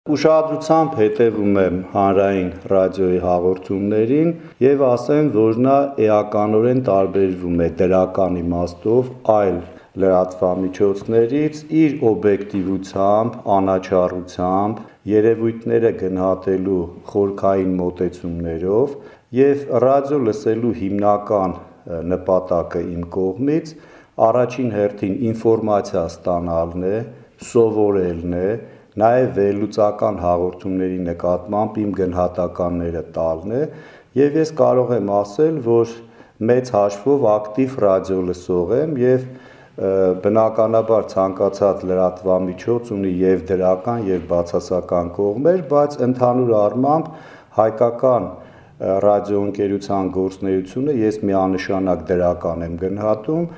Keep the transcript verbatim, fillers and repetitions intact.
Ուշադրությամբ հետևում եմ հանրային ռադիոյի հաղորդումներին եւ ասեմ, որ նա էականորեն տարբերվում է դրական իմաստով այլ լրատվամիջոցներից իր օբյեկտիվությամբ, անաչառությամբ, երևույթները գնահատելու խորքային մոտեցումներով եւ ռադիո լսելու հիմնական նպատակը իմ կողմից առաջին հերթին ինֆորմացիա ստանալն է, սովորելն է, նաև վերլուծական հաղորդումների նկատմամբ իմ գնահատականները տալն է եւ ես կարող եմ ասել, որ մեծ հաշվով ակտիվ ռադիոլսող եմ եւ բնականաբար ցանկացած լրատվամիջոց ունի եւ դրական եւ բացասական կողմեր, բայց ընդհանուր առմամբ հայկական ռադիոընկերության գործունեությունը ես միանշանակ դրական եմ գնահատում